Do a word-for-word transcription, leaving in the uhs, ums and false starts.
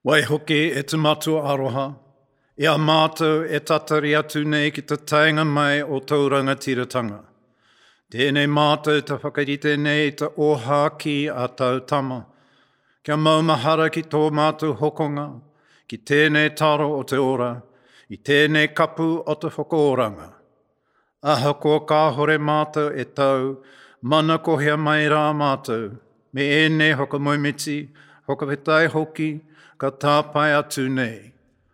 Waihoki e te matua aroha, i a mātou e tatari atu nei ki te taenga mai o tō rangatiratanga. Tēnei mātou te whakarite nei te ōhākī a tau tama, kia maumahara ki tō mātou hokonga, ki tēnei taro o te ora, i tēnei kapu o te whakaoranga. Ahakoa kāhore mātou e tau, manakohia mai rā mātou, me ēnei whakamoemiti, whakawhetai hoki, ka tāpae atu nei.